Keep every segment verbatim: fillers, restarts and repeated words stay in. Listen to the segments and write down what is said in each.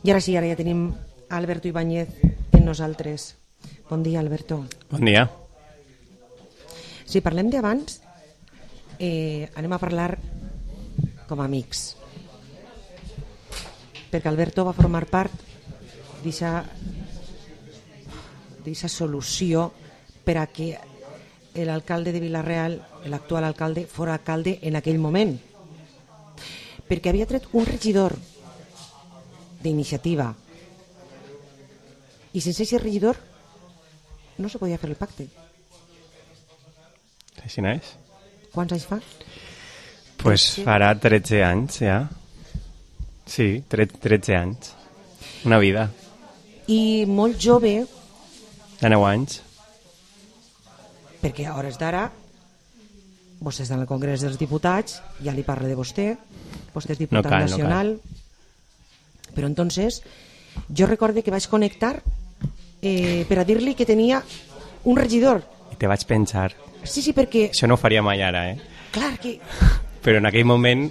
I ara sí, ara ja tenim Alberto Ibáñez en nosaltres. Bon dia, Alberto. Bon dia. Si parlem d'abans, eh, anem a parlar com a amics. Perquè Alberto va formar part d'aquesta solució per a que l'alcalde de Vila-real, l'actual alcalde, fora alcalde en aquell moment. Perquè havia tret un regidor d'iniciativa i sense aquest regidor no se podia fer el pacte. Així no és? Quants anys fa? Pues farà tretze anys, ja. Sí, tretze anys. Una vida. I molt jove. De nou anys. Perquè a hores d'ara vostè està en el Congrés dels Diputats, ja li parla de vostè, vostè és diputat no cal, nacional. No cal. Però entonces jo recorde que vaig connectar eh, per a dir-li que tenia un regidor. I te vaig pensar. Sí, sí, perquè... Això no ho faria mai ara, eh? Clar que... Però en aquell moment,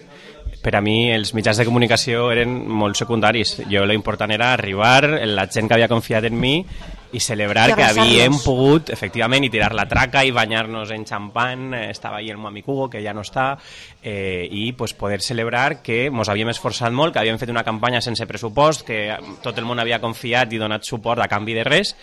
per a mi, els mitjans de comunicació eren molt secundaris. Jo l'important era arribar, la gent que havia confiat en mi, i celebrar que havíem pogut, efectivament, i tirar la traca i banyar-nos en xampany. Estava ahí el meu amic Hugo, que ja no està, eh, i pues, poder celebrar que ens havíem esforçat molt, que havíem fet una campanya sense pressupost, que tot el món havia confiat i donat suport a canvi de res,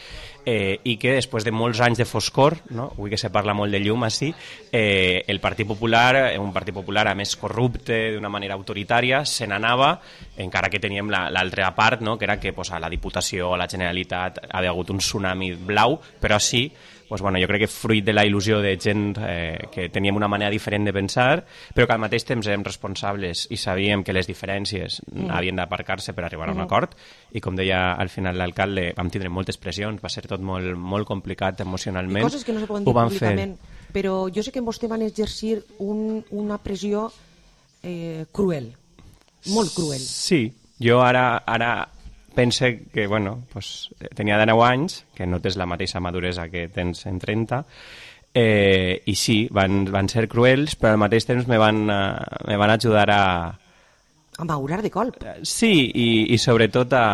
eh, i que després de molts anys de foscor, no? Avui que se parla molt de llum així, eh, el Partit Popular, un Partit Popular a més corrupte, d'una manera autoritària, se n'anava, encara que teníem l'altra part, no? Que era que pues, a la Diputació, a la Generalitat, havia hagut un tsunami blau, però sí, pues, bueno, jo crec que fruit de la il·lusió de gent eh, que teníem una manera diferent de pensar, però que al mateix temps érem responsables i sabíem que les diferències mm. havien d'aparcar-se per arribar a un acord, i com deia al final l'alcalde, vam tindre moltes pressions, va ser tot molt, molt complicat emocionalment. I coses que no se poden dir públicament, fer. Però jo sé que en vostè van exercir un, una pressió eh, cruel, molt cruel. Sí, jo ara... ara pense que, bueno, pues, tenia dinou anys, que no tens la mateixa maduresa que tens en trenta, eh, i sí, van, van ser cruels, però al mateix temps me van, uh, me van ajudar a... A maurar de colp. Sí, i, i sobretot a,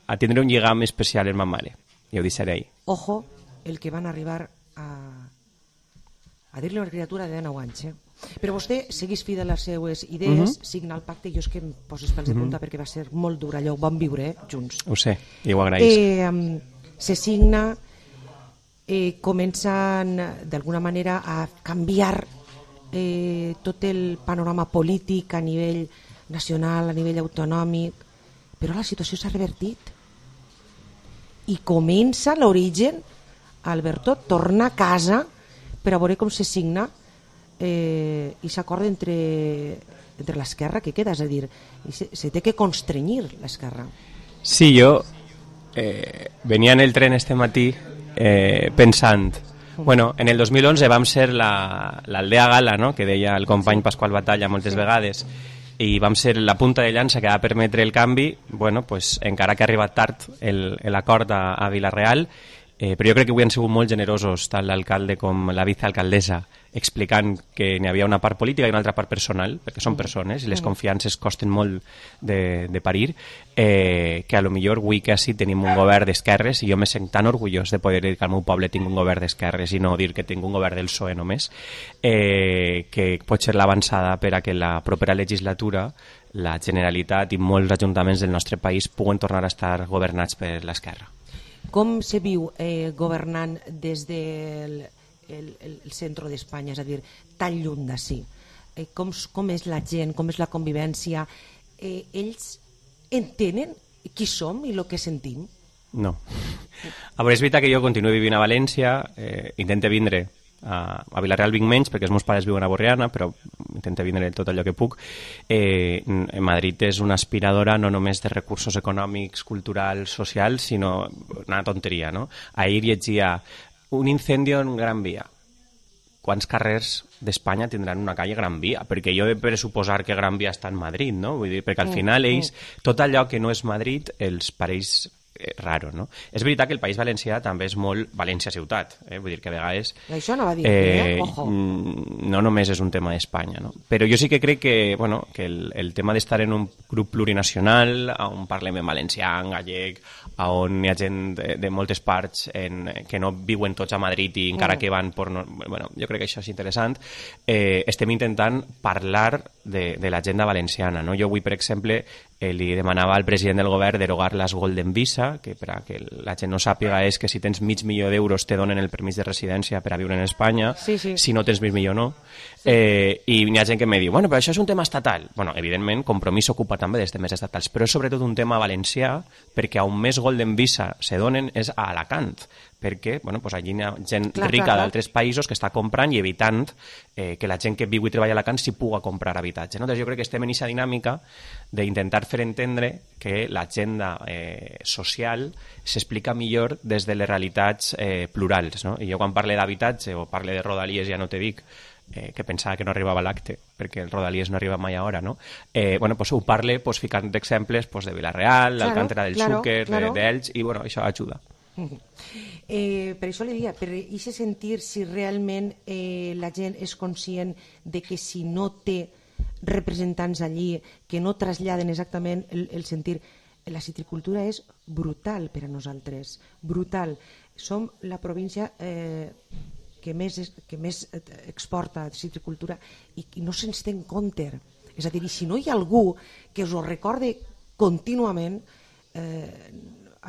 a tindre un lligam especial amb ma mare, i ho deixaré ahí. Ojo, el que van arribar a, a dir-li a una criatura de dinou anys, eh? Però vostè seguís fidel a les seues idees, uh -huh. signa el pacte, jo és que em poso els pèls de punta uh -huh. perquè va ser molt dur, allò ho vam viure eh, junts. Ho sé, i ho agraïs. Eh, um, se signa, eh, comencen d'alguna manera a canviar eh, tot el panorama polític a nivell nacional, a nivell autonòmic, però la situació s'ha revertit i comença l'origen, Alberto, torna a casa per a veure com se signa Eh, i s'acorda entre, entre l'esquerra que queda, és a dir, se, se té que constrenyir l'esquerra. Sí, jo eh, venia en el tren este matí eh, pensant, bueno, en el dos mil onze vam ser l'Aldea Gala, no? Que deia el company Pasqual Batalla moltes sí. vegades, i vam ser la punta de llança que va permetre el canvi, bueno, pues, encara que ha arribat tard l'acord a, a Vila-real, Eh, però jo crec que avui han sigut molt generosos tant l'alcalde com la vicealcaldessa explicant que n'hi havia una part política i una altra part personal, perquè són persones i les confiances costen molt de, de parir, eh, que a lo millor avui que així tenim un govern d'esquerres i jo me sent tan orgullós de poder dir que al meu poble tinc un govern d'esquerres i no dir que tinc un govern del P S O E només, eh, que pot ser l'avançada per a que la propera legislatura la Generalitat i molts ajuntaments del nostre país puguen tornar a estar governats per l'esquerra. Com se viu eh, governant des del el, el centre d'Espanya, és a dir, tan lluny d'ací? Eh, com, com és la gent, com és la convivència? Eh, ells entenen qui som i el que sentim? No. A veure, és veritat que jo continuo vivint a València, eh, intento vindre a, a Vila-real vinc menys perquè els meus pares viuen a Borriana, però intento vindre tot allò que puc. Eh, Madrid és una aspiradora no només de recursos econòmics, culturals, socials, sinó una tonteria, no? Ahir llegia un incendio en Gran Via. Quants carrers d'Espanya tindran una calle Gran Via? Perquè jo he de pressuposar que Gran Via està en Madrid, no? Vull dir, perquè al final ells, tot allò que no és Madrid, els pareix eh, raro, no? És veritat que el País Valencià també és molt València ciutat, eh? Vull dir que a vegades... Això no va dir, eh, eh? Ojo. No només és un tema d'Espanya, no? Però jo sí que crec que, bueno, que el, el tema d'estar en un grup plurinacional, on parlem en valencià, en gallec, on hi ha gent de, de moltes parts en, que no viuen tots a Madrid i encara mm. que van per... No, bueno, jo crec que això és interessant. Eh, estem intentant parlar de, de l'agenda valenciana, no? Jo avui, per exemple, eh, li demanava al president del govern derogar les Golden Visa, que per a que la gent no sàpiga és que si tens mig milió d'euros te donen el permís de residència per a viure en Espanya, sí, sí. Si no tens mig milió no. Sí. Eh, I hi ha gent que me diu, bueno, però això és un tema estatal. Bueno, evidentment, Compromís s'ocupa també dels temes estatals, però és sobretot un tema valencià, perquè on més Golden Visa se donen és a Alacant, perquè bueno, pues allí hi ha gent clar, rica d'altres països que està comprant i evitant eh, que la gent que viu i treballa a Alacant s'hi puga comprar habitatge. No? Doncs jo crec que estem en aquesta dinàmica d'intentar fer entendre que l'agenda eh, social s'explica millor des de les realitats eh, plurals. No? I jo quan parle d'habitatge o parle de Rodalies ja no te dic eh, que pensava que no arribava l'acte, perquè el Rodalies no arriba mai a hora, no? Eh, bueno, pues ho parle pues, ficant exemples pues, de Vila-real, claro, l'Alcàntera del claro, Xúquer, claro. d'Elx, i bueno, això ajuda. Eh, per això li diria, per això sentir si realment eh, la gent és conscient de que si no té representants allí que no traslladen exactament el, el sentir, la citricultura és brutal per a nosaltres, brutal. Som la província eh, que més, que més exporta citricultura i, i no se'ns té en compte. És a dir, i si no hi ha algú que us ho recorde contínuament, eh,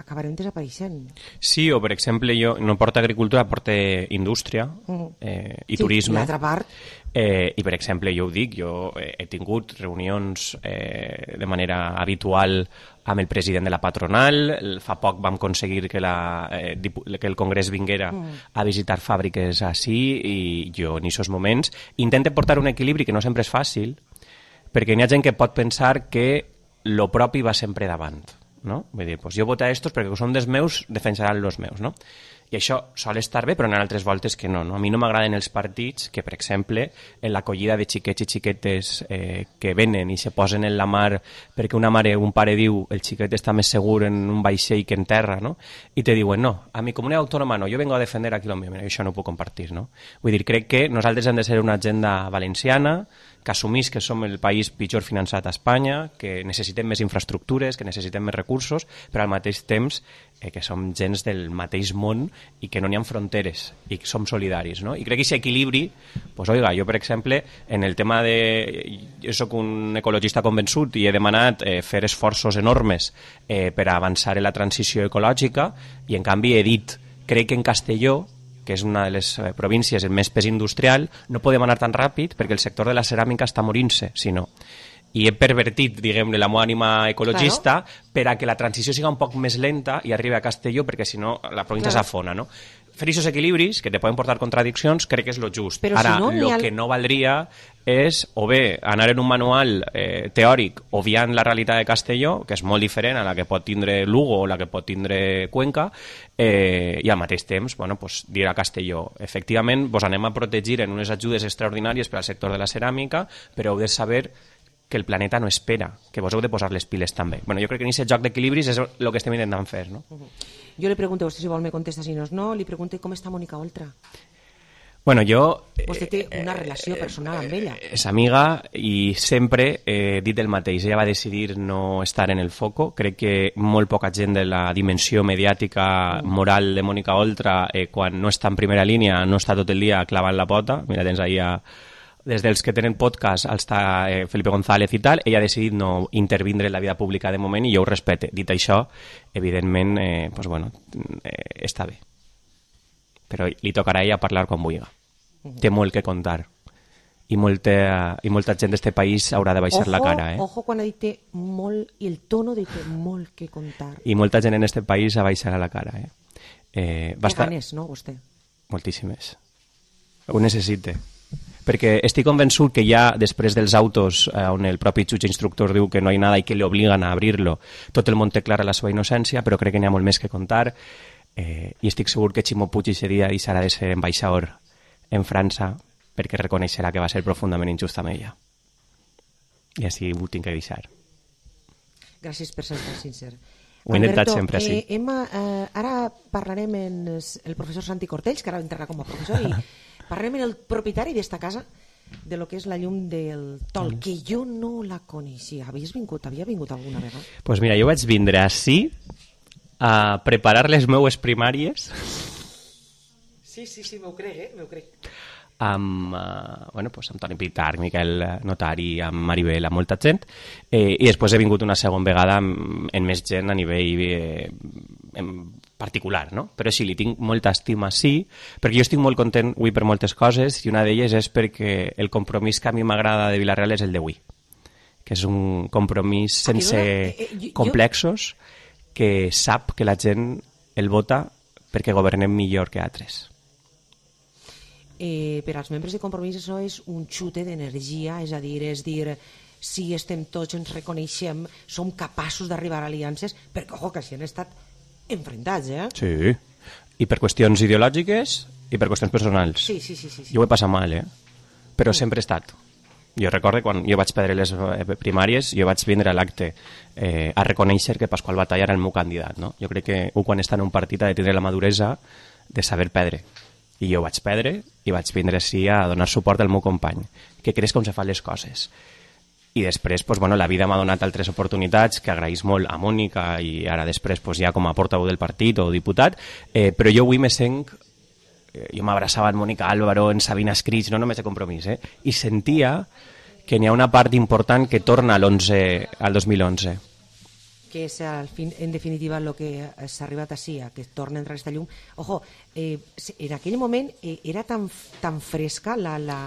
acabarem desapareixent. Sí, o per exemple, jo no porto agricultura, porto indústria eh, i sí, turisme. L'altra part. Eh, I per exemple, jo ho dic, jo he tingut reunions eh, de manera habitual amb el president de la patronal, fa poc vam aconseguir que, la, eh, que el Congrés vinguera mm. a visitar fàbriques així i jo en aquests moments intento portar un equilibri que no sempre és fàcil, perquè hi ha gent que pot pensar que lo propi va sempre davant. No? Vull dir, pues jo voto a estos perquè són dels meus, defensaran els meus, no? I això sol estar bé, però en altres voltes que no, no? A mi no m'agraden els partits que, per exemple, en l'acollida de xiquets i xiquetes eh, que venen i se posen en la mar perquè una mare o un pare diu el xiquet està més segur en un vaixell que en terra, no? I te diuen, no, a mi comunitat autònoma no, jo vengo a defender aquí lo mío, i això no ho puc compartir, no? Vull dir, crec que nosaltres hem de ser una agenda valenciana que assumís que som el país pitjor finançat a Espanya, que necessitem més infraestructures, que necessitem més recursos, però al mateix temps eh, que som gens del mateix món i que no n'hi ha fronteres i que som solidaris, no? I crec que aquest equilibri, pues, oiga, jo per exemple, en el tema de... Jo soc un ecologista convençut i he demanat eh, fer esforços enormes eh, per avançar en la transició ecològica i en canvi he dit, crec que en Castelló, que és una de les províncies amb més pes industrial, no podem anar tan ràpid perquè el sector de la ceràmica està morint-se, si no. I he pervertit, diguem-ne, la meva ànima ecologista claro. per a que la transició siga un poc més lenta i arribi a Castelló, perquè si no la província claro. s'afona, no? Fer aquests equilibris, que te poden portar contradiccions, crec que és lo just. Però Ara, si no, lo el... que no valdria és o bé anar en un manual eh, teòric obviant la realitat de Castelló, que és molt diferent a la que pot tindre Lugo o la que pot tindre Cuenca, eh, i al mateix temps bueno, pues, dir a Castelló, efectivament vos anem a protegir en unes ajudes extraordinàries per al sector de la ceràmica, però heu de saber que el planeta no espera, que vos heu de posar les piles també. Bueno, jo crec que en aquest joc d'equilibris és el que estem intentant fer, no? Uh -huh. Jo li pregunto, vostè si vol me contesta, si no és no, li pregunto com està Mònica Oltra. Bueno, jo... Vostè té una relació personal amb ella. És amiga i sempre he dit el mateix. Ella va decidir no estar en el foco. Crec que molt poca gent de la dimensió mediàtica moral de Mònica Oltra, eh, quan no està en primera línia, no està tot el dia clavant la pota. Mira, tens ahí a... des dels que tenen podcast està eh, Felipe González i tal, ella ha decidit no intervindre en la vida pública de moment i jo ho respecte. Dit això, evidentment, eh, pues bueno, eh, està bé. Però li tocarà a ella parlar quan vulgui. Té molt que contar. I molta, i molta gent d'este país haurà de baixar ojo, la cara. Eh? Ojo quan ha dit molt, i el tono de té molt que contar. I molta gent en este país ha baixat la cara. Eh? Eh, Té ganes, no, vostè? Moltíssimes. Ho necessite. Perquè estic convençut que ja després dels autos eh, on el propi jutge instructor diu que no hi ha nada i que li obliguen a obrir-lo, tot el món té clara la seva innocència, però crec que n'hi ha molt més que contar eh, i estic segur que Ximo Puig aquest dia deixarà de ser ambaixador en França perquè reconeixerà que va ser profundament injust amb ella. I així ho tinc que deixar. Gràcies per ser tan sincer. Ho he intentat sempre, sí. Eh, Emma, eh, ara parlarem amb el professor Santi Cortells, que ara entrarà com a professor, i parlarem amb el propietari d'esta casa, de lo que és la llum del Tol, que jo no la coneixia. Havies vingut, havia vingut alguna vegada? Doncs pues mira, jo vaig vindre ací a preparar les meues primàries. Sí, sí, sí, m'ho crec, eh? M'ho crec. Amb, uh, bueno, pues, amb Toni Pitar, Miquel Notari, amb Maribel, amb molta gent, eh, i després he vingut una segona vegada amb, amb més gent a nivell eh, en particular, no? Però sí, li tinc molta estima, sí, perquè jo estic molt content avui per moltes coses, i una d'elles és perquè el compromís que a mi m'agrada de Vila-real és el d'avui, que és un compromís sense eh, eh, jo, complexos, que sap que la gent el vota perquè governem millor que altres. Eh, per als membres de Compromís això és un xute d'energia, és a dir, és dir, si estem tots, ens reconeixem, som capaços d'arribar a aliances, perquè, ojo, que si han estat enfrontats, eh? Sí, i per qüestions ideològiques i per qüestions personals. Sí, sí, sí. sí, sí. Jo ho he passat mal, eh? Però sempre he estat. Jo recordo quan jo vaig perdre les primàries, jo vaig vindre a l'acte eh, a reconèixer que Pasqual Batalla era el meu candidat, no? Jo crec que un quan està en un partit ha de tindre la maduresa de saber perdre. I jo vaig perdre i vaig vindre així a donar suport al meu company, que creix com se fan les coses. I després, pues, bueno, la vida m'ha donat altres oportunitats que agraïs molt a Mònica i ara després pues, ja com a portaveu del partit o diputat, eh, però jo avui me sent, eh, jo m'abraçava en Mònica Álvaro, en Sabina Escrits, no només de Compromís, eh, i sentia que n'hi ha una part important que torna al dos mil onze. Que és, al fin, en definitiva, el que s'ha arribat així, que torna a entrar aquesta llum. Ojo, eh, en aquell moment eh, era tan, tan fresca la, la,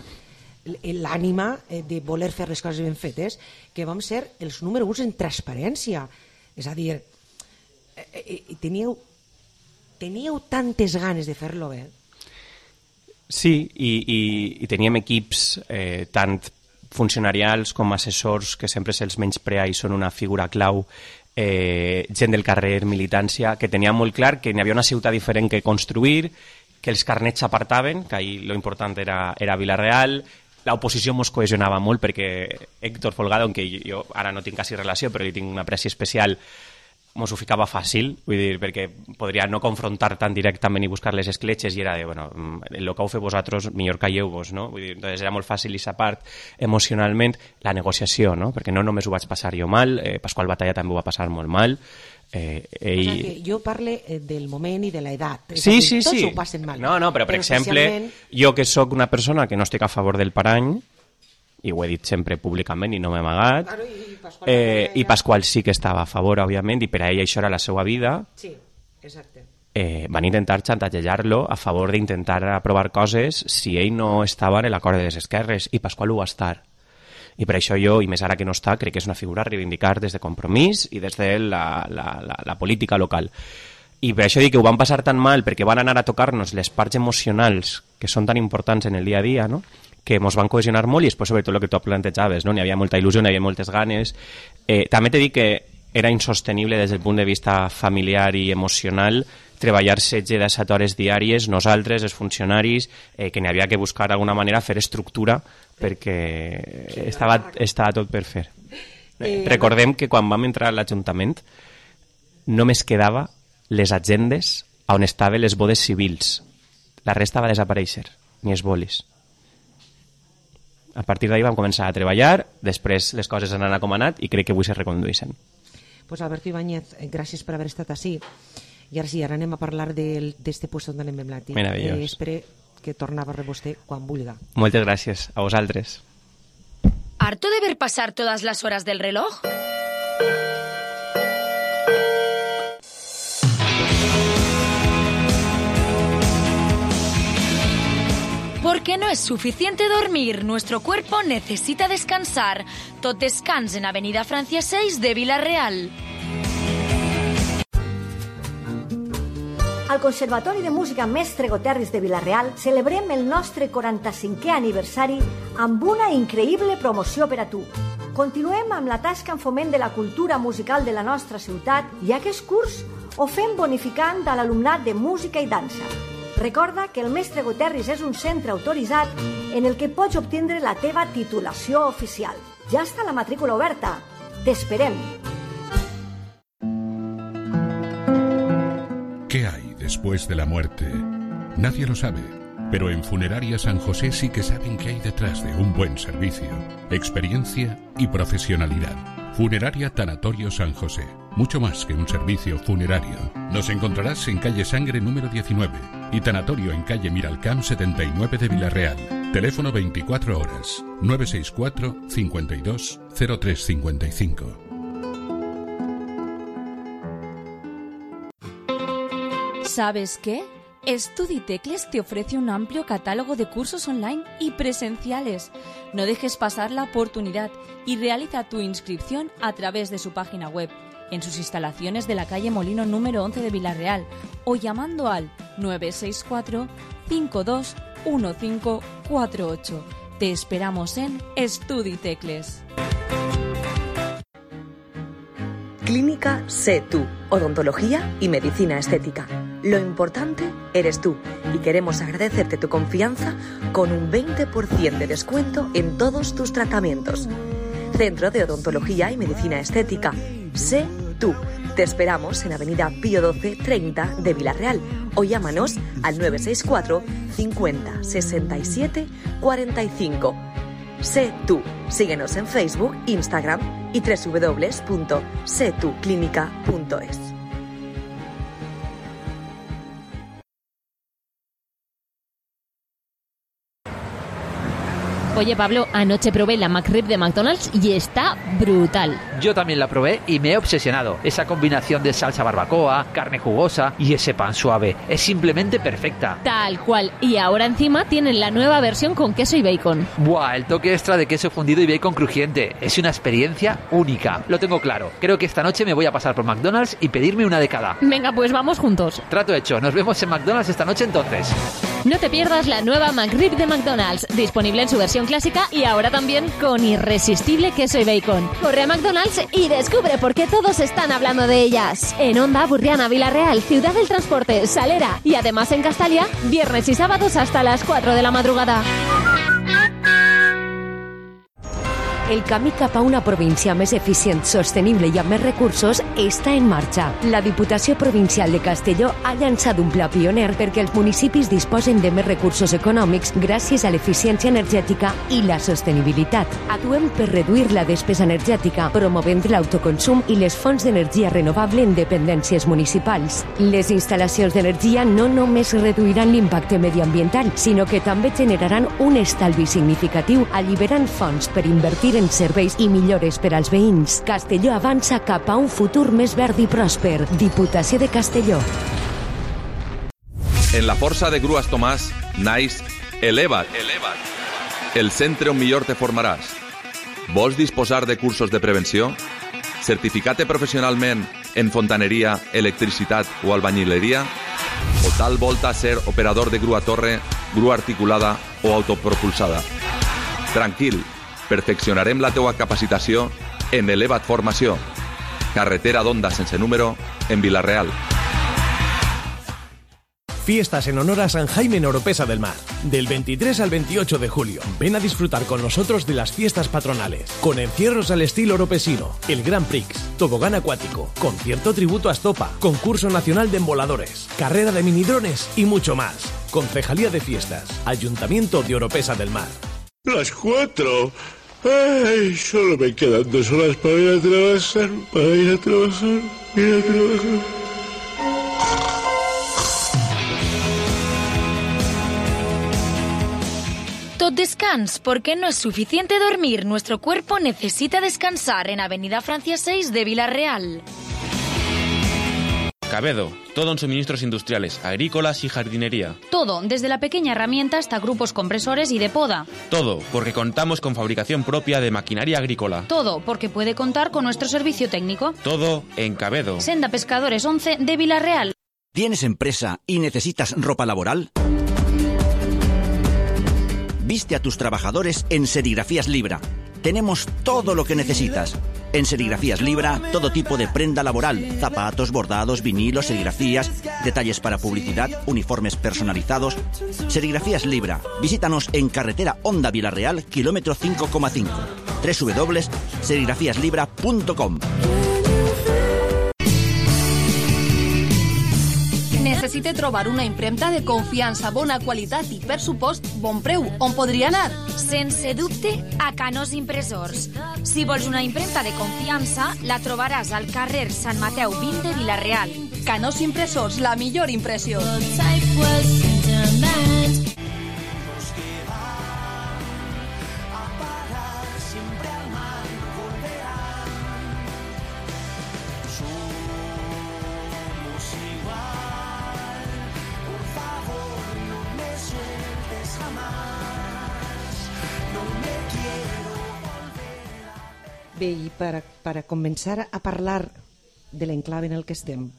l'ànima eh, de voler fer les coses ben fetes que vam ser els número uns en transparència. És a dir, eh, eh, teníeu, teníeu tantes ganes de fer-lo bé. Sí, i, i, i teníem equips eh, tant funcionarials com assessors que sempre se'ls menysprea i són una figura clau, eh, gent del carrer, militància, que tenia molt clar que n'hi havia una ciutat diferent que construir, que els carnets s'apartaven, que ahir lo important era, era Vila-real, l'oposició mos cohesionava molt perquè Héctor Folgado, en què jo ara no tinc quasi relació, però li tinc una apreci especial, mos ho ficava fàcil, vull dir, perquè podria no confrontar tan directament i buscar les escletxes i era de, bueno, el que heu fet vosaltres, millor calleu-vos, no? Vull dir, entonces era molt fàcil aquesta part emocionalment, la negociació, no? Perquè no només ho vaig passar jo mal, eh, Pasqual Batalla també ho va passar molt mal, eh, ell... O sigui, jo parle del moment i de l'edat. Sí, sí, tots sí. ho passen mal. No, no, però, per però exemple, especialment... jo que sóc una persona que no estic a favor del parany, i ho he dit sempre públicament i no m'he amagat, Claro, i, Pasqual eh, ja... i Pasqual sí que estava a favor, òbviament, i per a ell això era la seva vida. Sí, exacte. Eh, van intentar xantatgejar-lo a favor d'intentar aprovar coses si ell no estava en l'acord de les esquerres, i Pasqual ho va estar. I per això jo, i més ara que no està, crec que és una figura a reivindicar des de Compromís i des de la, la, la, la política local. I per això dic que ho van passar tan mal, perquè van anar a tocar-nos les parts emocionals que són tan importants en el dia a dia, no?, que ens van cohesionar molt, i després sobretot el que tu plantejaves, no? N'hi havia molta il·lusió, n'hi havia moltes ganes. Eh, també t'he dit que era insostenible des del punt de vista familiar i emocional treballar setze a disset hores diàries, nosaltres, els funcionaris, eh, que n'hi havia que buscar d'alguna manera fer estructura perquè estava, estava tot per fer. Eh, Recordem que quan vam entrar a l'Ajuntament només quedava les agendes on estaven les bodes civils. La resta va desaparèixer, ni els bolis. A partir d'ahir vam començar a treballar, després les coses han anat com han anat i crec que avui se recondueixen. Pues Alberto Ibáñez, gràcies per haver estat així. I ara sí, ara anem a parlar d'este puesto on anem en Blati. Meravellós. Eh, espero que torna a veure vostè quan vulga. Moltes gràcies a vosaltres. ¿Harto de ver pasar todas las horas del reloj? Porque no es suficiente dormir, nuestro cuerpo necesita descansar. Tot descans en Avenida Francia seis de Vila-real. Al Conservatori de Música Mestre Goterris de Vila-real celebrem el nostre quaranta-cinquè aniversari amb una increïble promoció per a tu. Continuem amb la tasca en foment de la cultura musical de la nostra ciutat i aquest curs ho fem bonificant a l'alumnat de música i dansa. Recorda que el Mestre Goterris és un centre autoritzat en el que pots obtindre la teva titulació oficial. Ja està la matrícula oberta. T'esperem! después de la muerte? Nadie lo sabe, pero en Funeraria San José sí que saben qué hay detrás de un buen servicio, experiencia y profesionalidad. Funeraria Tanatorio San José, mucho más que un servicio funerario. Nos encontrarás en calle Sangre número diecinueve y Tanatorio en calle Miralcamp setenta y nueve de Villarreal. Teléfono veinticuatro horas, nueve seis cuatro, cincuenta y dos, cero tres cincuenta y cinco. ¿Sabes qué? StudiTecles te ofrece un amplio catálogo de cursos online y presenciales. No dejes pasar la oportunidad y realiza tu inscripción a través de su página web, en sus instalaciones de la calle Molino número once de Villarreal o llamando al nueve seis cuatro, cinco dos uno cinco cuatro ocho. Te esperamos en StudiTecles. Clínica Sé Tú, odontología y medicina estética. Lo importante eres tú y queremos agradecerte tu confianza con un veinte por ciento de descuento en todos tus tratamientos. Centro de Odontología y Medicina Estética. Sé Tú. Te esperamos en Avenida Pío doce treinta de Villarreal o llámanos al nueve seis cuatro, cincuenta, sesenta y siete, cuarenta y cinco. Sé Tú. Síguenos en Facebook, Instagram y doble u doble u doble u punto sé tú clínica punto es. Oye, Pablo, anoche probé la McRib de McDonald's y está brutal. Yo también la probé y me he obsesionado. Esa combinación de salsa barbacoa, carne jugosa y ese pan suave es simplemente perfecta. Tal cual. Y ahora encima tienen la nueva versión con queso y bacon. Buah, el toque extra de queso fundido y bacon crujiente. Es una experiencia única. Lo tengo claro. Creo que esta noche me voy a pasar por McDonald's y pedirme una de cada. Venga, pues vamos juntos. Trato hecho. Nos vemos en McDonald's esta noche entonces. No te pierdas la nueva McRib de McDonald's, disponible en su versión clásica y ahora también con irresistible queso y bacon. Corre a McDonald's y descubre por qué todos están hablando de ellas. En Onda, Burriana, Villarreal, Ciudad del Transporte, Salera y además en Castalia, viernes y sábados hasta las cuatro de la madrugada. El camí cap a una província més eficient, sostenible i amb més recursos està en marxa. La Diputació Provincial de Castelló ha llançat un pla pioner perquè els municipis disposen de més recursos econòmics gràcies a l'eficiència energètica i la sostenibilitat. Actuem per reduir la despesa energètica, promovent l'autoconsum i les fonts d'energia renovable en dependències municipals. Les instal·lacions d'energia no només reduiran l'impacte mediambiental, sinó que també generaran un estalvi significatiu, alliberant fons per invertir en serveis i millores per als veïns. Castelló avança cap a un futur més verd i pròsper. Diputació de Castelló. En la força de Grues Tomàs naix Eleva't, el centre on millor te formaràs. Vols disposar de cursos de prevenció? Certificat professionalment en fontaneria, electricitat o albañileria? O tal volta ser operador de grua torre, grua articulada o autopropulsada? Tranquil, perfeccionarem la teua capacitació en Eleva't Formació. Carretera d'Onda sense número en Villarreal. Fiestas en honor a San Jaime en Oropesa del Mar. Del veintitrés al veintiocho de julio. Ven a disfrutar con nosotros de las fiestas patronales. Con encierros al estilo oropesino, el Grand Prix, tobogán acuático, concierto tributo a Estopa, concurso nacional de emboladores, carrera de minidrones y mucho más. Concejalía de Fiestas, Ayuntamiento de Oropesa del Mar. Las cuatro. Ay, solo me quedan dos horas para ir a trabajar, para ir a trabajar, ir a trabajar. Tot descans, porque no es suficiente dormir. Nuestro cuerpo necesita descansar en Avenida Francia seis de Villarreal. Cabedo, todo en suministros industriales, agrícolas y jardinería. Todo, desde la pequeña herramienta hasta grupos compresores y de poda. Todo, porque contamos con fabricación propia de maquinaria agrícola. Todo, porque puede contar con nuestro servicio técnico. Todo en Cabedo. Senda Pescadores once de Villarreal. ¿Tienes empresa y necesitas ropa laboral? Viste a tus trabajadores en Serigrafías Libra. Tenemos todo lo que necesitas. En Serigrafías Libra, todo tipo de prenda laboral, zapatos, bordados, vinilos, serigrafías, detalles para publicidad, uniformes personalizados. Serigrafías Libra. Visítanos en carretera Onda Villarreal, kilómetro cinco coma cinco. doble u doble u doble u punto serigrafías libra punto com. necessite trobar una impremta de confiança, bona qualitat i, per supost, bon preu, on podria anar? Sense dubte, a Canós Impressors. Si vols una impremta de confiança, la trobaràs al carrer Sant Mateu vint de Vila-real. Canós Impressors, la millor impressió. Bé, i per, per començar a parlar de l'enclave en el que estem,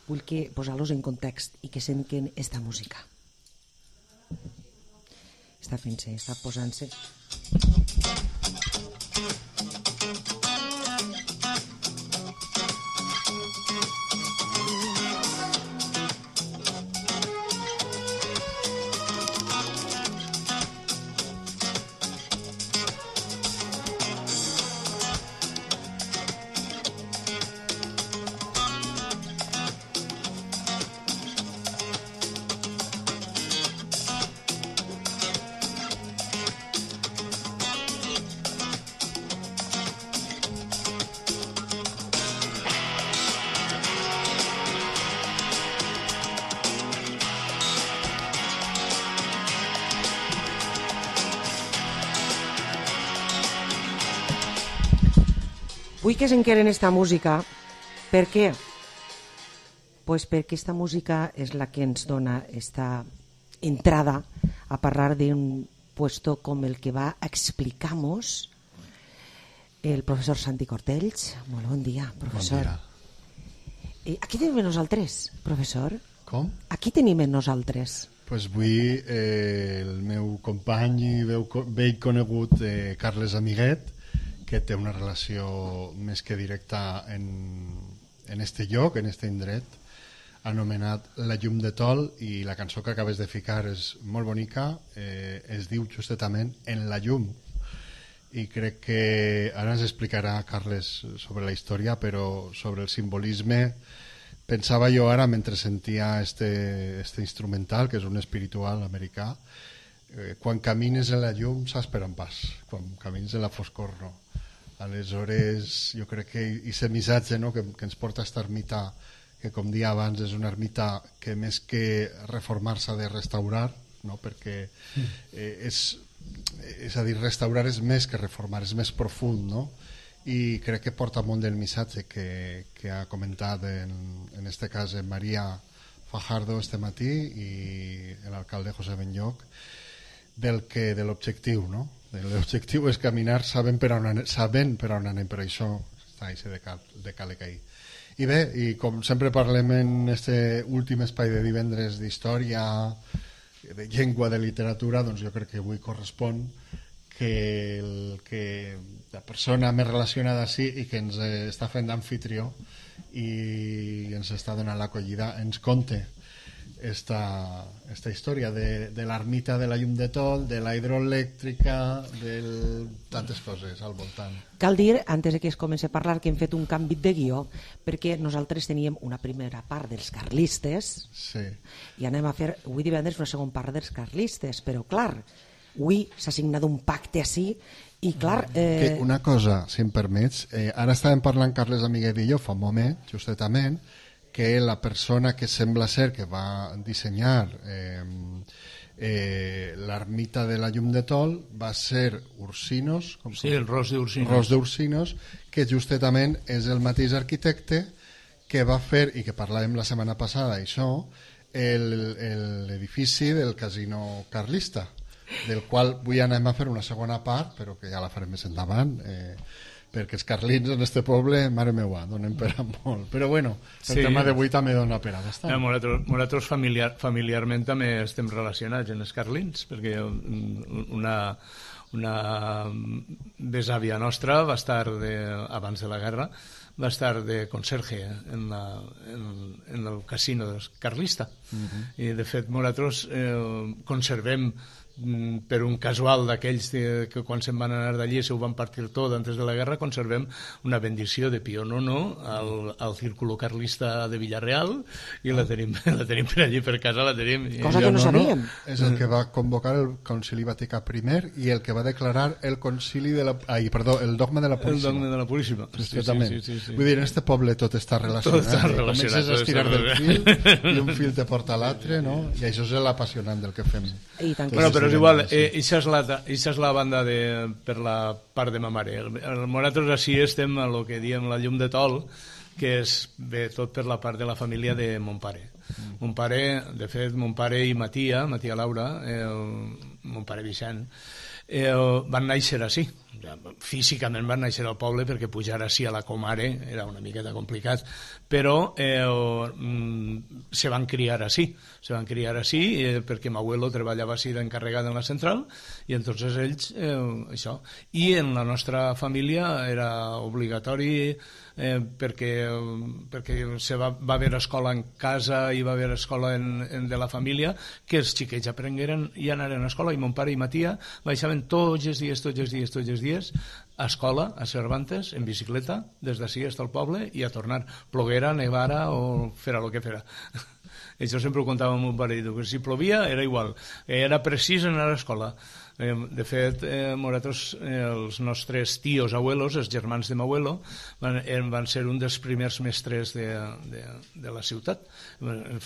vull que posar-los en context i que senten esta música. Està fent-se, està posant-se. Vull que s'enqueren esta música. Per què? Pues perquè esta música és la que ens dona esta entrada a parlar d'un puesto com el que va explicar-nos el professor Santi Cortells. Molt bon dia, professor. Bon dia. Eh, aquí tenim nosaltres, professor. Com? Aquí tenim nosaltres. Pues vull eh, el meu company i veu, vell conegut eh, Carles Amiguet, que té una relació més que directa en, en este lloc, en este indret, anomenat La llum de Tol, i la cançó que acabes de ficar és molt bonica, eh, es diu justament En la llum, i crec que ara ens explicarà Carles sobre la història, però sobre el simbolisme pensava jo ara mentre sentia este, este instrumental, que és un espiritual americà. Eh, quan camines en la llum saps per on vas, quan camines en la foscor no. Aleshores jo crec que aquest missatge, no, que, que ens porta a esta ermita, que com dia abans és una ermita que més que reformar s'ha de restaurar, no? Perquè eh, és, és a dir, restaurar és més que reformar, és més profund, no? I crec que porta molt del missatge que, que ha comentat en, en este cas en Maria Fajardo este matí i l'alcalde José Benlloc, del que de l'objectiu, no? L'objectiu és caminar sabent per on anem, sabent per on anem, per això està això de, cal, de cale cair. I bé, i com sempre parlem en este últim espai de divendres d'història, de llengua, de literatura, doncs jo crec que avui correspon que, el, que la persona més relacionada sí i que ens està fent d'anfitrió i ens està donant l'acollida ens conte esta, esta història de, de l'ermita de la llum de Tol, de la hidroelèctrica, de tantes coses al voltant. Cal dir, antes que es comenci a parlar, que hem fet un canvi de guió, perquè nosaltres teníem una primera part dels carlistes, sí, i anem a fer, avui divendres, una segona part dels carlistes, però clar, avui s'ha signat un pacte així, i clar... Eh... Que una cosa, si em permets, eh, ara estàvem parlant Carles Amiguet i jo fa un moment, justament, que la persona que sembla ser que va dissenyar eh, eh, l'ermita de la llum de Tol va ser Ursinos, com sí, el Ros d'Ursinos. Ros d'Ursinos, que justament és el mateix arquitecte que va fer, i que parlàvem la setmana passada, això, l'edifici del casino carlista, del qual avui anem a fer una segona part, però que ja la farem més endavant, eh, perquè els carlins en este poble, mare meua, donen per a molt. Però bueno, el sí, tema d'avui també dona per a bastant. Eh, nosaltres familiar, familiarment també estem relacionats en els carlins, perquè una, una besàvia nostra va estar, de, abans de la guerra, va estar de conserge en, la, en, en el casino carlista. Uh-huh. I de fet nosaltres eh, conservem per un casual d'aquells que quan se'n van anar d'allí se ho van partir tot antes de la guerra, conservem una bendició de Pío nono al, al Círculo Carlista de Villarreal i la tenim, la tenim per allí per casa, la tenim. Cosa que no sabíem. És el que va convocar el Concili Vaticà primer i el que va declarar el concili de la... Ai, perdó, el dogma de la Puríssima. El dogma de la Puríssima. Sí, sí, sí, sí, sí. Vull dir, en este poble tot està relacionat. Tot està relacionat. Comences a estirar del fil i un fil te porta a l'altre, no? I això és l'apassionant del que fem. I tant que bueno, sí. Però és igual, eh, això és, la, és la banda de, per la part de ma mare. Nosaltres així estem a lo que diem la llum de Tol, que és bé tot per la part de la família de mon pare. Mm. Mon pare, de fet, mon pare i Matia, Matia Laura, el, mon pare Vicent, eh, van néixer així. Físicament van néixer al poble perquè pujar així a la comare era una miqueta complicat, però eh, mm, se van criar així. Se van criar així eh, perquè m'abuelo treballava així d'encarregat en la central i entonces ells, eh, això. I en la nostra família era obligatori eh, perquè, perquè se va, va haver escola en casa i va haver escola en, en de la família, que els xiquets aprengueren i anaren a escola, i mon pare i Matia baixaven tots els dies, tots els dies, tots els dies a escola, a Cervantes, en bicicleta, des d'ací fins al poble i a tornar, ploguera, nevara o fera el que fera. Això sempre ho contava amb un pare, que si plovia era igual, era precís anar a l'escola. De fet, eh, nosaltres, eh, els nostres tios abuelos, els germans de m'abuelo, van, van ser un dels primers mestres de, de, de la ciutat,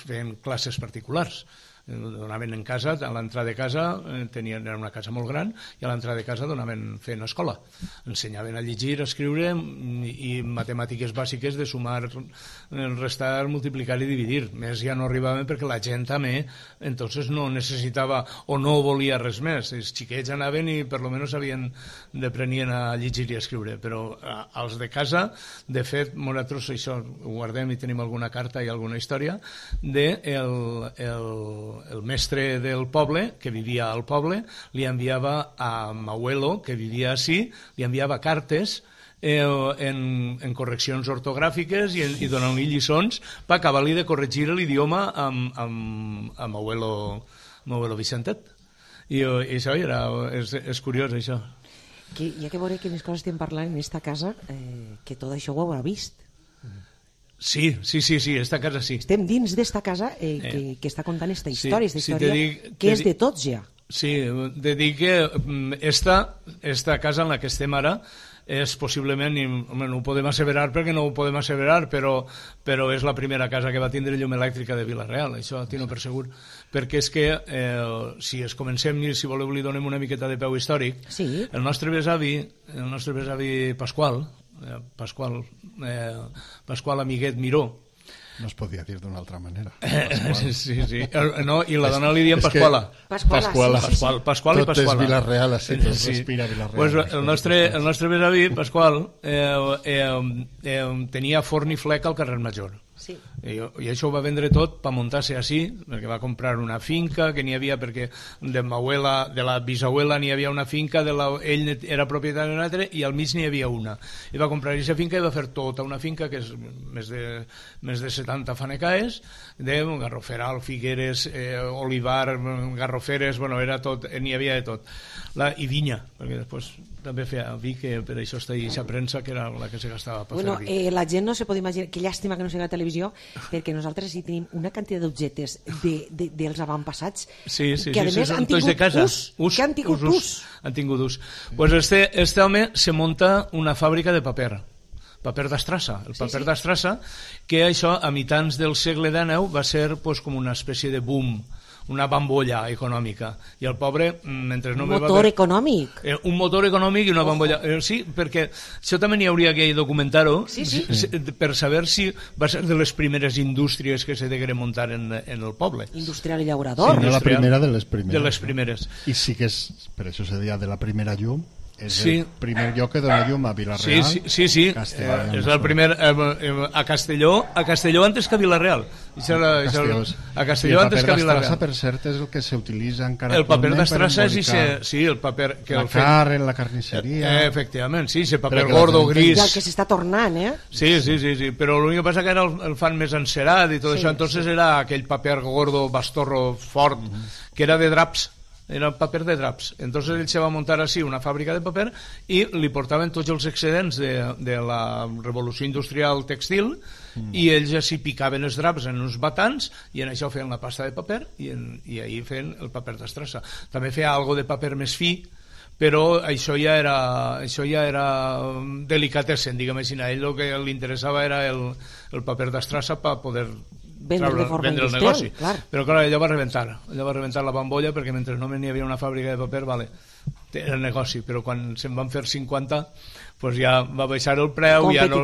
feien classes particulars. Donaven en casa, a l'entrada de casa tenien, era una casa molt gran, i a l'entrada de casa donaven, feien escola, ensenyaven a llegir, a escriure i, i matemàtiques bàsiques de sumar, restar, multiplicar i dividir. Més ja no arribaven perquè la gent també entonces no necessitava o no volia res més. Els xiquets anaven i per lo menos sabien d'aprenien a llegir i a escriure, però als de casa, de fet, nosaltres això ho guardem i tenim alguna carta i alguna història de el, el el mestre del poble, que vivia al poble, li enviava a m'abuelo, que vivia així, li enviava cartes eh, en, en correccions ortogràfiques i, i donant-li lliçons per acabar-li de corregir l'idioma amb, amb, amb m'abuelo, m'abuelo Vicentet. I, i això era, és, és curiós, això. Que, ja que veuré quines coses estem parlant en esta casa, eh, que tot això ho haurà vist. Sí, sí, sí, sí, esta casa sí. Estem dins d'esta casa eh, que, eh. que està contant esta història, sí, esta història sí, dic, que és dic, de tots ja. Sí, de dir que esta, esta casa en la que estem ara és possiblement, i, home, no ho podem asseverar perquè no ho podem asseverar, però, però és la primera casa que va tindre llum elèctrica de Vila-real, això tinc per segur, perquè és que eh, si es comencem i si voleu li donem una miqueta de peu històric, sí. el nostre besavi, el nostre besavi Pasqual, Eh, Pasqual, eh, Pasqual Amiguet Miró. No es podia dir d'una altra manera. Eh, sí, sí. No, i la dona li diem Pasquala. Pasquala, Pasquala, sí, sí, Pasqual, Pasqual i Tot Pasquala. és Vila-real, així, tot sí. respira Vila-real. Pues el, nostre, el nostre besavi, Pasqual, eh, eh, eh, tenia forn i flec al carrer Major. Sí. I, I això ho va vendre tot per muntar-se així, perquè va comprar una finca que n'hi havia, perquè de m'abuela, de la bisabuela n'hi havia una finca, de la, ell era propietari d'una altra i al mig n'hi havia una. I va comprar aquesta finca i va fer tota una finca que és més de, més de setanta fanecaes, de garroferal, figueres, eh, olivar, garroferes, bueno, era tot, n'hi havia de tot. La, I vinya, perquè després també feia vi, que per això està ahí aquesta premsa que era la que se gastava per bueno, fer vi. Eh, la gent no se pot imaginar, que llàstima que no sigui a la televisió, perquè nosaltres hi tenim una quantitat d'objectes de, de, dels avantpassats sí, sí, que a sí, més sí, han tingut de casa. ús, ús, que han tingut ús, ús. Han tingut ús. Pues este, este home se munta una fàbrica de paper, paper d'estrassa, el paper sí, sí. d'estrassa, que això a mitjans del segle dinou va ser pues, com una espècie de boom, una bambolla econòmica, i el pobre mentre no un motor haver... econòmic eh, un motor econòmic i una bambolla eh, sí, perquè això també n'hi hauria que documentar-ho sí, sí. per saber si va ser de les primeres indústries que se degueren muntar en, en el poble. Industrial i llaurador. Sí, no la primera de les primeres. De les primeres. I sí que és, per això se deia de la primera llum, és sí. el primer lloc que dona llum a Vila-real. Sí, sí, sí, sí. Eh, és el primer eh, a Castelló, a Castelló antes que a Vila-real. Ah, a Castelló antes que a Vila-real. El paper d'estrassa, per cert, és el que s'utilitza encara el paper d'estrassa és se, sí, el paper que la el carn, la carnisseria. Eh, efectivament, sí, ese paper gordo, gris. I el que s'està tornant, eh? Sí, sí, sí, sí, però l'únic que passa que ara el, el fan més encerat i tot sí, això, entonces sí. Era aquell paper gordo, bastorro, fort, mm -hmm. que era de draps. era paper de draps. Entonces ell se va muntar així una fàbrica de paper i li portaven tots els excedents de, de la revolució industrial textil mm. i ells així picaven els draps en uns batants i en això feien la pasta de paper i, en, i ahí feien el paper d'estrassa. També feia algo de paper més fi, però això ja era, això ja era delicatessen, diguem així. A ell el que li interessava era el, el paper d'estrassa per poder vendre, traure, de forma vendre el negoci. Clar. Però clar, allò va rebentar, allò va rebentar la bombolla perquè mentre no n'hi havia una fàbrica de paper, vale, era el negoci, però quan se'n van fer cinquanta pues ja va baixar el preu, ja no,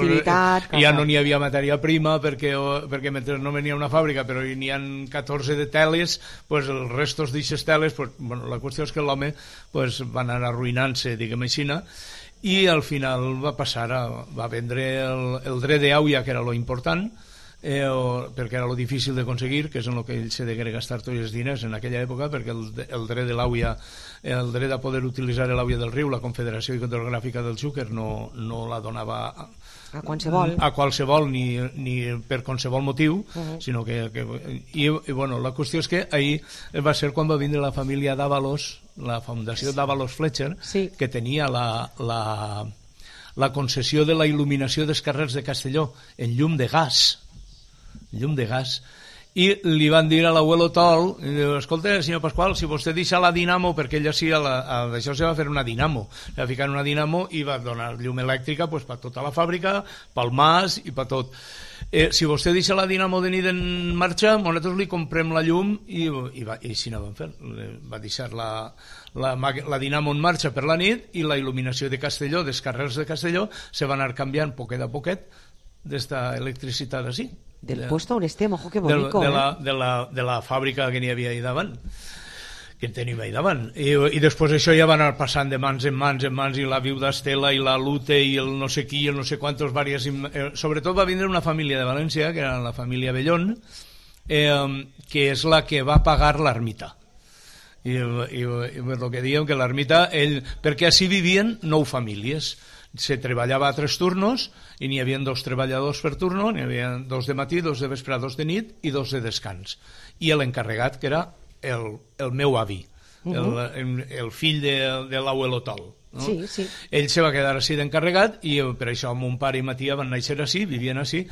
ja no n'hi havia matèria prima perquè, perquè mentre no venia una fàbrica però n'hi ha catorze de teles, pues els restos d'aixes teles, pues, bueno, la qüestió és que l'home pues, va anar arruïnant-se, diguem així, i al final va passar a, va vendre el, el dret d'àuia, que era lo important, eh, o, perquè era lo difícil d'aconseguir, que és en el que ell se degué gastar tots els diners en aquella època, perquè el, el dret de l'àuia, el dret a poder utilitzar l'àuia del riu, la Confederació Hidrogràfica del Xúquer no, no la donava a, a qualsevol, a qualsevol ni, ni per qualsevol motiu, uh -huh. sinó que, que i, i bueno, la qüestió és que ahir va ser quan va vindre la família d'Ábalos, la fundació d'Ábalos Fletcher, sí. que tenia la, la, la concessió de la il·luminació dels carrers de Castelló en llum de gas, llum de gas, i li van dir a l'abuelo Tol, escolta, senyor Pasqual, si vostè deixa la dinamo, perquè ella sí, a la, a, d'això se va fer una dinamo, va ficar una dinamo i va donar llum elèctrica pues, per tota la fàbrica, pel mas i per tot. Eh, si vostè deixa la dinamo de nit en marxa, nosaltres li comprem la llum i, i, va, i així no van fer. Va deixar la, la, la dinamo en marxa per la nit i la il·luminació de Castelló, dels carrers de Castelló, se va anar canviant poquet a poquet d'esta electricitat així. Del de, puesto on estem, ojo que bonico, de, de, eh? la, de, la, de la fàbrica que n'hi havia ahí davant, que tenim ahí davant. I, i després això ja va anar passant de mans en mans en mans, i la viuda Estela i la Lute i el no sé qui i el no sé quantos varias, eh, sobretot va vindre una família de València, que era la família Bellón, eh, que és la que va pagar l'ermita. I, i, i el que diem que l'ermita, ell, perquè així vivien nou famílies, se treballava a tres turnos i n'hi havia dos treballadors per turno, n'hi havia dos de matí, dos de vespre, dos de nit i dos de descans, i l'encarregat que era el, el meu avi, uh -huh. el, el fill de, de l'abuelo Tol, no? Sí, sí. Ell se va quedar així d'encarregat i per això mon pare i ma tia van néixer així, vivien així,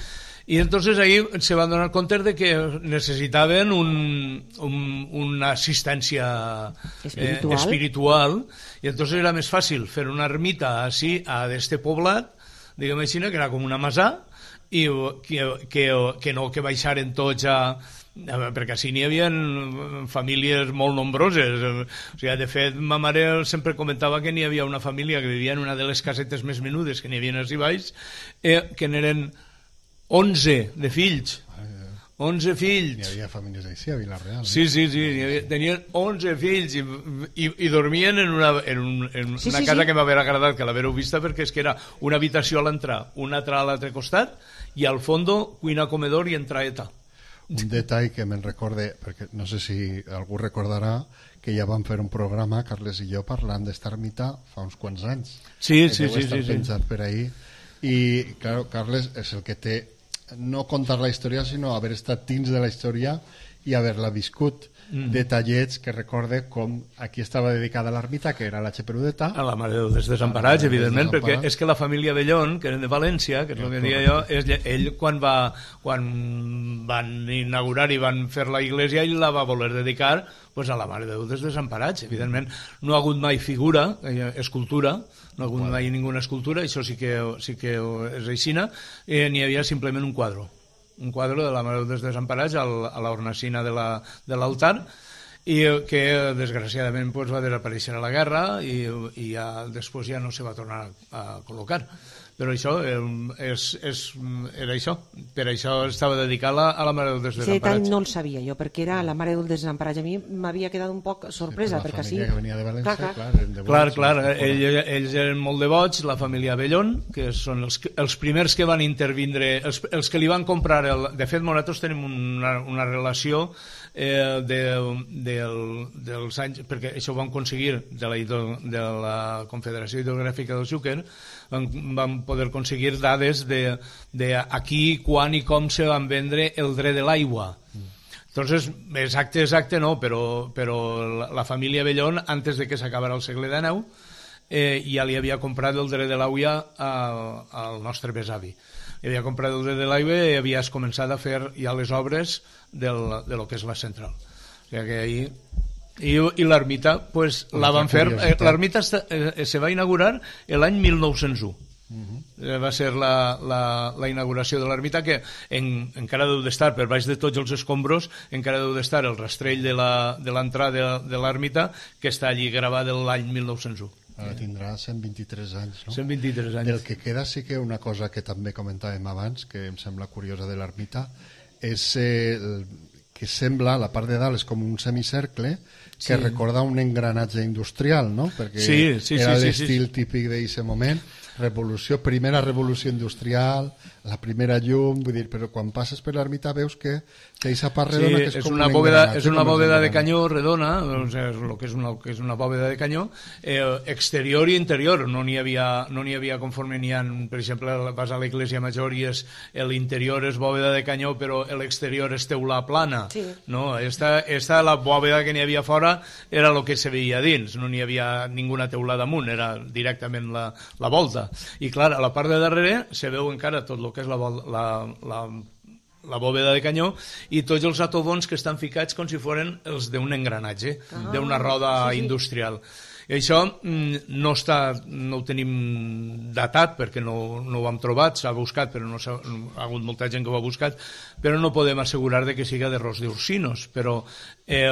i entonces ahí se van donar compte de que necessitaven un, un, una assistència espiritual. Eh, espiritual, i entonces era més fàcil fer una ermita així a d'este poblat, diguem així, que era com una masà, i que, que, que no que baixaren tots a... perquè així n'hi havia famílies molt nombroses. O sigui, de fet, ma mare sempre comentava que n'hi havia una família que vivia en una de les casetes més menudes que n'hi havia així baix, eh, que n'eren onze de fills, onze fills. Hi havia famílies així a Vila-real. Eh? Sí, sí, sí, havia, tenien onze fills i, i, i dormien en una, en un, en sí, una sí, casa sí. que m'haver agradat que l'haver vista, perquè és que era una habitació a l'entrar, una altra a l'altre costat, i al fondo cuina, comedor i entraeta. Un detall que me'n recorde, perquè no sé si algú recordarà que ja vam fer un programa, Carles i jo, parlant d'esta ermita fa uns quants anys. Sí, sí, sí. sí, sí, sí. Per ahí. I, claro, Carles és el que té no contar la història, sinó haver estat dins de la història i haver-la viscut. Mm. Detallets que recorde com aquí estava dedicada l'ermita, que era la Xeperudeta. A la Mare de Déu dels Desemparats, evidentment, perquè és que la família Bellón, que eren de València, que és el que deia jo, és, ell quan va quan van inaugurar i van fer la iglesia, ell la va voler dedicar pues, a la Mare de Déu dels Desemparats. Evidentment, no ha hagut mai figura, escultura, no ha hagut bueno. mai ninguna escultura, això sí que, sí que és aixina, eh, n'hi havia simplement un quadre. un quadre de la Mare dels Desemparats a l'hornacina de l'altar, i que desgraciadament pues, va desaparèixer a la guerra i, i ja, després ja no se va tornar a col·locar. Però això és, és, era això, per això estava dedicada a la Mare dels Desemparats. Sí, tant no el sabia jo, perquè era la Mare dels Desemparats. A mi m'havia quedat un poc sorpresa, sí, perquè sí. La família que venia de València, clar, clar, clar, de clar, clar ells, ells eren molt devots, la família Bellón, que són els, els primers que van intervindre, els, els que li van comprar, el, de fet nosaltres tenim una, una relació eh, de, de, dels anys, perquè això ho vam aconseguir de la, de la Confederació Hidrogràfica del Xúquer, van, van poder aconseguir dades de, de aquí, quan i com se van vendre el dret de l'aigua. Mm. Entonces, exacte, exacte no, però, però la, la família Bellón, antes de que s'acabara el segle dinou, eh, ja li havia comprat el dret de l'àvia al nostre besavi. Li havia comprat el dret de l'àvia i havies començat a fer ja les obres del, de lo que és la central. O sigui que ahí... I, i l'ermita, pues, la van fer... Eh, l'ermita eh, se va inaugurar l'any mil nou-cents u. Uh-huh. Va ser la, la, la inauguració de l'ermita, que en, encara deu d'estar per baix de tots els escombros, encara deu d'estar el rastrell de l'entrada de, de, de l'ermita, que està allí gravat l'any mil nou-cents u. Ara tindrà cent vint-i-tres anys, no? cent vint-i-tres anys. Del que queda sí que una cosa que també comentàvem abans, que em sembla curiosa de l'ermita, és eh, el, que sembla, la part de dalt és com un semicercle, que sí. Recorda un engranatge industrial, no? Perquè sí, sí, era sí, l'estil sí, sí. típic d'aquest moment, revolució, primera revolució industrial, la primera llum, vull dir, però quan passes per l'ermita veus que aquesta part redona sí, que és, és com una un bòveda, engranatge. és una bòveda de canyó redona, o sigui, el que és una, que és una bòveda de canyó, eh, exterior i interior, no n'hi havia, no n'hi havia conforme n'hi ha, per exemple, vas a l'església major i és, l'interior és bòveda de canyó, però l'exterior és teula plana. Sí. No? Esta, esta, la bòveda que n'hi havia fora era el que se veia dins, no n'hi havia ninguna teula damunt, era directament la, la volta. I clar, a la part de darrere se veu encara tot el que és la, la, la, la bòveda de canyó i tots els atobons que estan ficats com si foren els d'un engranatge, ah, d'una roda sí, sí. industrial. I això no, està, no ho tenim datat perquè no, no ho hem trobat, s'ha buscat, però no s'ha, ha hagut molta gent que ho ha buscat, però no podem assegurar de que siga de Ros d'Ursinos, però eh,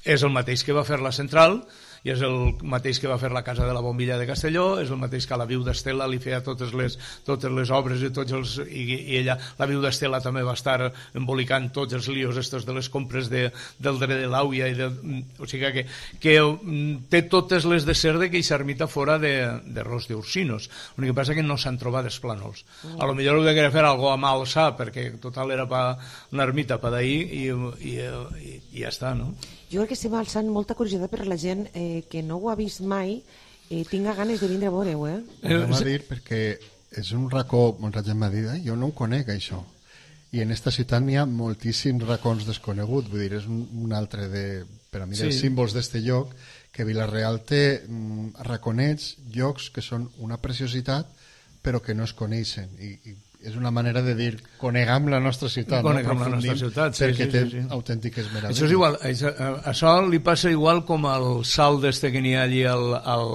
és el mateix que va fer la central, i és el mateix que va fer la Casa de la Bombilla de Castelló, és el mateix que la Viu d'Estela li feia totes les, totes les obres i, tots els, i, i ella, la Viu d'Estela també va estar embolicant tots els líos estos de les compres de, del dret de l'àvia, de, o sigui que, que té totes les de ser de que aquesta ermita fora de, de Ros d'Ursinos. L'únic que passa que no s'han trobat els plànols. Mm. A lo millor ho de querer fer algo a mà alçar, perquè total era pa una ermita pa d'ahir i, i, i, i ja està, no? Jo crec que estem alçant molta curiositat per la gent eh, que no ho ha vist mai, eh, tinga ganes de vindre a veure-ho, eh? Ho va dir perquè és un racó, molta gent m'ha dit, eh? Jo no ho conec, això. I en esta ciutat n'hi ha moltíssims racons desconeguts, vull dir, és un, un altre de, per a mi, dels sí. símbols d'este lloc, que Vila-real té mm, raconets, llocs que són una preciositat, però que no es coneixen, i, i és una manera de dir coneguem la nostra ciutat, coneguem no? la nostra ciutat, sí, perquè sí, té sí, sí. autèntiques meravelles. Això és igual, això, això li passa igual com al salt d'este que n'hi ha allí al, al,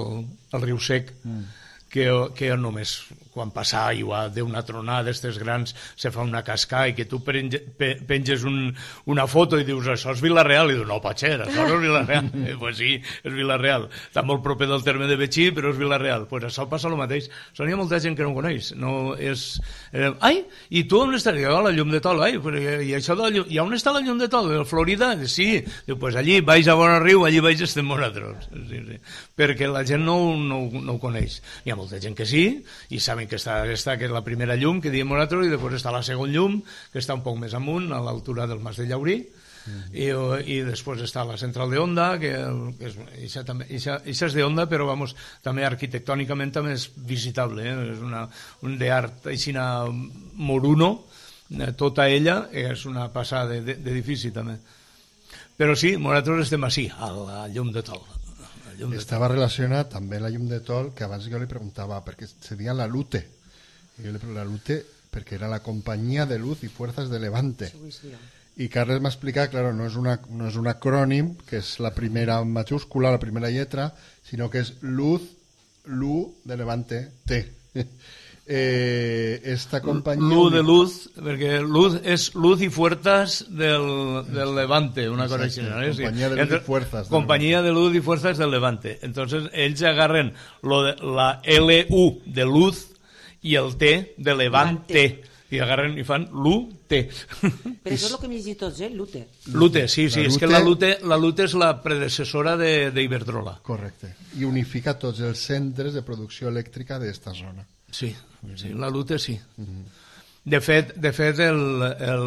al riu Sec, mm. que, que només quan passa aigua d'una tronada d'estes grans se fa una cascada i que tu penge, pe, penges un, una foto i dius això és Vila-real, i dius no pot ser, això no és Vila-real. eh, pues sí, és Vila-real, està molt proper del terme de Betxí, però és Vila-real. Pues això passa el mateix, això n'hi ha molta gent que no ho coneix, no és eh, ai, i tu on estàs? Oh, la llum de Tol, ai, pues, i això de la llum, i on està la llum de Tol? El Florida? Sí, diu, pues allí baix a Bonarriu, allí baix estem nosaltres, sí, sí. perquè la gent no, no, no ho coneix. Hi ha molta gent que sí, i saben que està aquesta, que és la primera llum que diem nosaltres, i després està la segona llum que està un poc més amunt a l'altura del Mas de Llaurí, mm. i, i després està la central de Onda, que, que és, ixa, també, ixa, ixa és de Onda, però vamos, també arquitectònicament també és visitable, eh? És una, un d'art aixina moruno, eh, tota ella és una passada d'edifici també, però sí, nosaltres estem així a la llum de Tol. Estava relacionat també la llum de Tol, que abans jo li preguntava perquè seria la Lute, i jo li preguntava la Lute perquè era la Companyia de Luz y Fuerzas de Levante, i Carles m'ha explicat, claro, no és, una, no és un acrònim que és la primera majúscula, la primera lletra, sinó que és Luz, Lu de Levante, T. Eh, esta companyia... Luz de luz, perquè luz és luz i fuerzas del, del Levante, una cosa així. ¿no? Companyia de luz i fuerzas. Companyia de luz i fuerzas del Levante. Entonces, ells agarren lo de, la L U de luz i el T de Levante. I agarren i fan Lute. Però això és el que hem llegit tots, eh? Lute. Lute, sí, sí. És que la Lute, la Lute és la predecessora d'Iberdrola. Correcte. I unifica tots els centres de producció elèctrica d'esta zona. Sí, sí, la Lute sí. De fet, de fet el, el,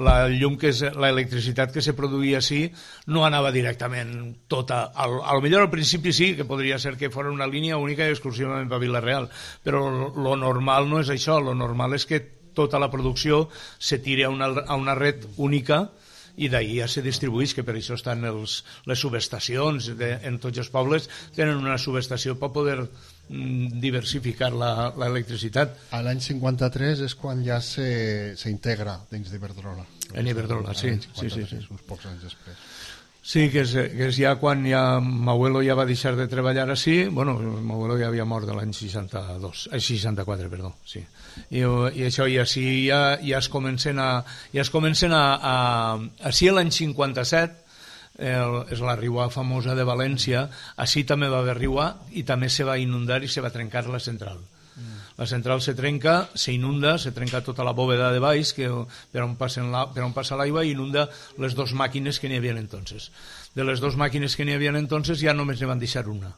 la llum que és l'electricitat que se produïa així no anava directament tota. Al, a lo millor al principi sí, que podria ser que fos una línia única i exclusivament per Vila-real, però lo normal no és això, lo normal és que tota la producció se tira a una, a una red única i d'ahir ja se distribueix, que per això estan els, les subestacions de, en tots els pobles tenen una subestació per poder mm, diversificar l'electricitat. A l'any cinquanta-tres és quan ja s'integra dins d'Iberdrola. En Iberdrola, sí, sí, sí, sí. Uns pocs anys després. Sí, que és, que és ja quan ja Mauelo ja va deixar de treballar així, bueno, Mauelo ja havia mort l'any seixanta-dos, eh, seixanta-quatre, perdó, sí. I, i això i així ja, ja es comencen a... Ja es comencen a, a així l'any cinquanta-set, el, és la riua famosa de València, així també va haver riua i també se va inundar i se va trencar la central. La central se trenca, se inunda, se trenca tota la bóveda de baix que per on, la, per on passa l'aigua i inunda les dues màquines que n'hi havia entonces. De les dues màquines que n'hi havia entonces ja només ne van deixar una.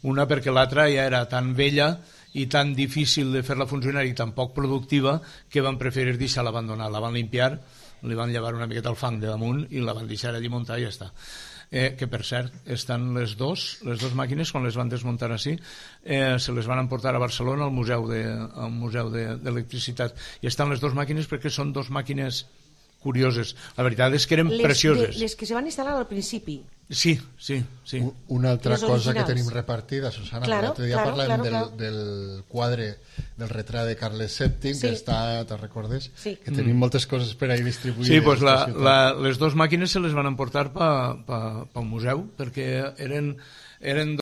Una perquè l'altra ja era tan vella i tan difícil de fer-la funcionar i tan poc productiva que van preferir deixar-la abandonar. La van limpiar, li van llevar una miqueta el fang de damunt i la van deixar allí muntar i ja està. Eh, que per cert, estan les dos, les dues màquines, quan les van desmuntar així, eh, se les van emportar a Barcelona al Museu de, al Museu d'Electricitat. I estan les dues màquines perquè són dues màquines curioses. La veritat és que eren les precioses. De, les que se van instal·lar al principi. Sí, sí, sí. Una altra les cosa originals que tenim repartida, Susana, claro, l'altre dia claro, parlàvem claro, del, claro. del quadre del retrat de Carles sèptim, sí. Que està, te'n recordes? Sí. Que tenim mm. moltes coses per ahí distribuïdes. Sí, pues la, la, les dues màquines se les van emportar pel pa, pa, pa museu, perquè eren, eren